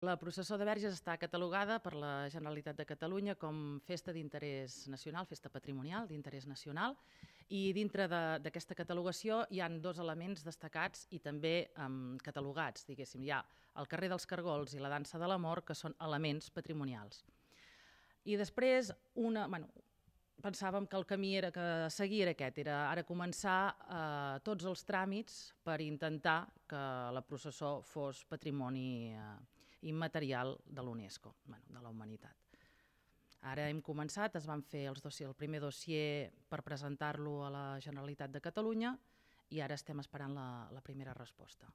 La processó de Verges està catalogada per la Generalitat de Catalunya com festa d'interès nacional, festa patrimonial d'interès nacional, i dintre d'aquesta catalogació hi han dos elements destacats i també catalogats, diguéssim. Hi ha el carrer dels Cargols i la dansa de l'amor, que són elements patrimonials. I després, pensàvem que el camí que seguir era aquest, era ara començar tots els tràmits per intentar que la processó fos patrimoni immaterial de l'UNESCO, de la humanitat. Ara hem començat, es van fer el primer dossier per presentar-lo a la Generalitat de Catalunya i ara estem esperant la primera resposta.